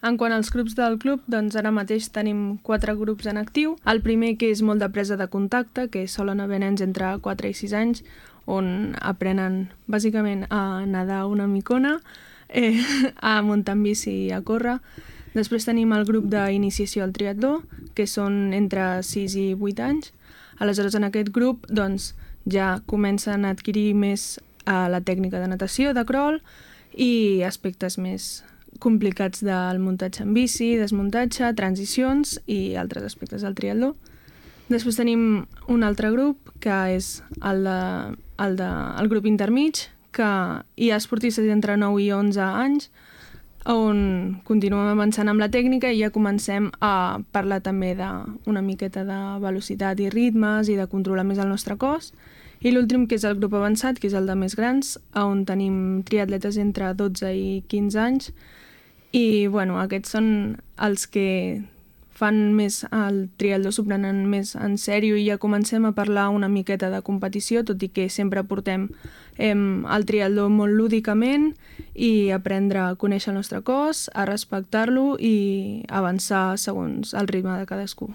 En quant als grups del club, doncs ara mateix tenim 4 grups en actiu. El primer, que és molt de presa de contacte, que solen haver nens entre 4 i 6 anys, on aprenen bàsicament a nedar una micona, a muntar en bici i a córrer. Després tenim el grup d'iniciació al triatló, que són entre 6 i 8 anys. Aleshores, en aquest grup doncs, ja comencen a adquirir més la tècnica de natació, de crawl, i aspectes més complicats del muntatge en bici, desmuntatge, transicions i altres aspectes del triatló. Després tenim un altre grup, que és el grup intermig, que hi ha esportistes entre 9 i 11 anys, on continuem avançant amb la tècnica i ja comencem a parlar també d'una miqueta de velocitat i ritmes i de controlar més el nostre cos. I l'últim, que és el grup avançat, que és el de més grans, on tenim triatletes entre 12 i 15 anys. I aquests són els que fan més el triatló, s'ho prenen més en sèrio i ja comencem a parlar una miqueta de competició, tot i que sempre portem el triatló molt lúdicament i aprendre a conèixer el nostre cos, a respectar-lo i avançar segons el ritme de cadascú.